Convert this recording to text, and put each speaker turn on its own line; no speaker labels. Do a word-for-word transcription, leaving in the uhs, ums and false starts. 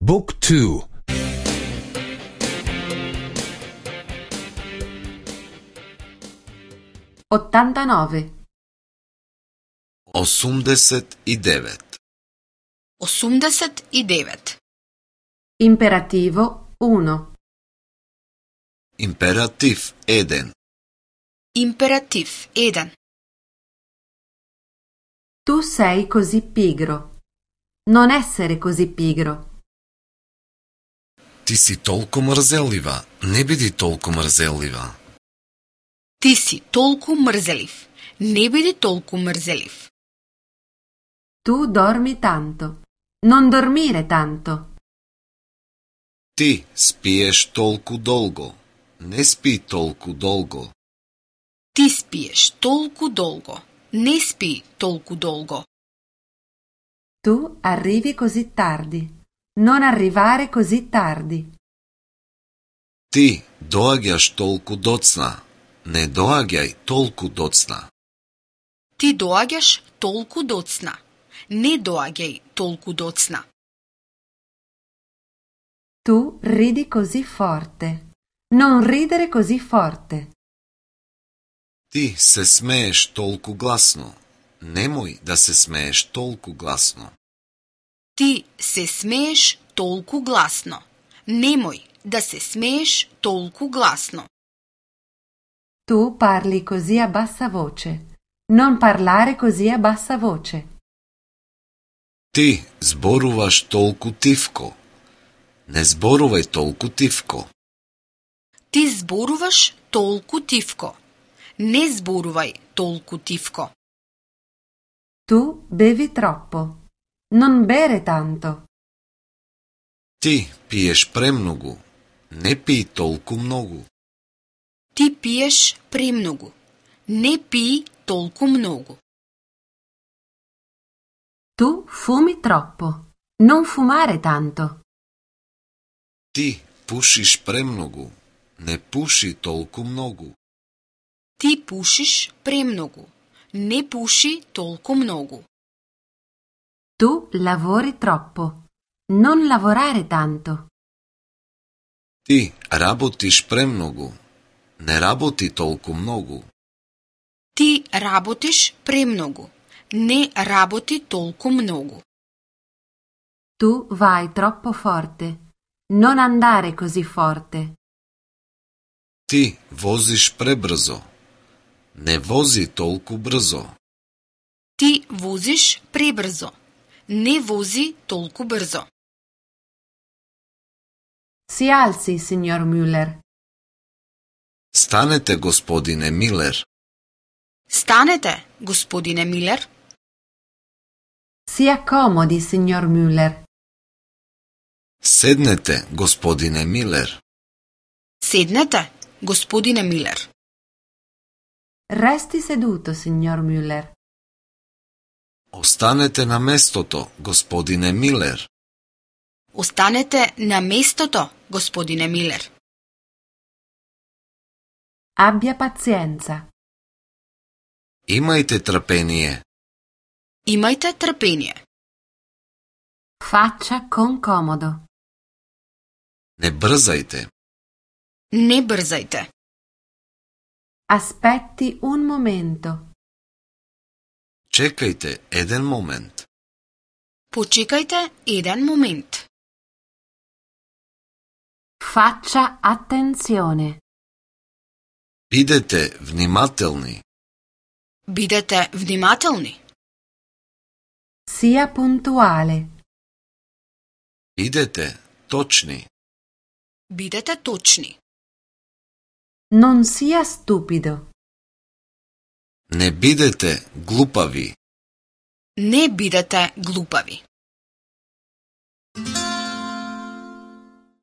Book two.
ottantanove.
osamdeset i devet.
osamdeset i devet.
Imperativo uno.
Imperativ jedan.
Imperativ jedan.
Tu sei così pigro. Non essere così pigro.
Ti si toliko mrzeliva, ne bidi toliko mrzeliva.
Ti si толку мрзелив. Не биди толку мрзелив.
Tu dormi tanto. Non dormire tanto.
Ti spiješ toliko dolgo, ne spi toliko dolgo.
Ти спиеш толку долго. Не спи толку долго.
Tu arrivi così tardi. Non arrivare così tardi.
Ti doaѓаш toliko docna, ne doaѓaj toliko docna.
Ти доаѓаш толку доцна. Не доаѓај толку доцна.
Tu ridi così forte. Non ridere così forte.
Ti se smeješ toliko glasno, nemoj da se smeješ toliko glasno.
Ти се смееш толку гласно. Немој да се смееш толку гласно.
Tu parli così a bassa voce. Non parlare così a bassa voce.
Ti zborуваš toliko tivko, ne zborувај toliko tivko.
Ти зборуваш толку тивко. Не зборувај толку тивко.
Tu bevi troppo. Non bere tanto.
Ti piješ premnogu, ne pij toliko mnogo.
Ти пиеш премногу. Не пи толку многу.
Tu fumi troppo. Non fumare tanto.
Ti pušiš premnogu, ne puši toliko mnogo.
Ти пушиш премногу. Не пуши толку многу.
Tu lavori troppo. Non lavorare tanto.
Ti работиш premnogu, ne работи toliko mnogo.
Ти работиш премногу. Не работи толку многу.
Tu vai troppo forte. Non andare così forte.
Ti voziš prebrzo, ne vozi toliko brzo.
Ти возиш пребрзо. Не вози толку брзо.
Si alzi, signor Müller.
Станете, господине Милер.
Станете, господине Милер.
Si accomodi, signor Müller.
Седнете, господине Милер.
Седнете, господине Милер.
Resti seduto, signor Müller.
Останете на местото, господине Милер.
Останете на местото, господине Милер.
Abbia pazienza.
Имајте трпение.
Имајте трпение.
Faccia con comodo.
Не брзајте.
Не брзајте.
Aspetti un momento.
Чекајте еден момент.
Почекајте еден момент.
Faccia attenzione.
Бидете внимателни.
Бидете внимателни.
Sia puntuale.
Бидете точни.
Бидете точни.
Non sia stupido.
Не бидете глупави.
Не бидете глупави.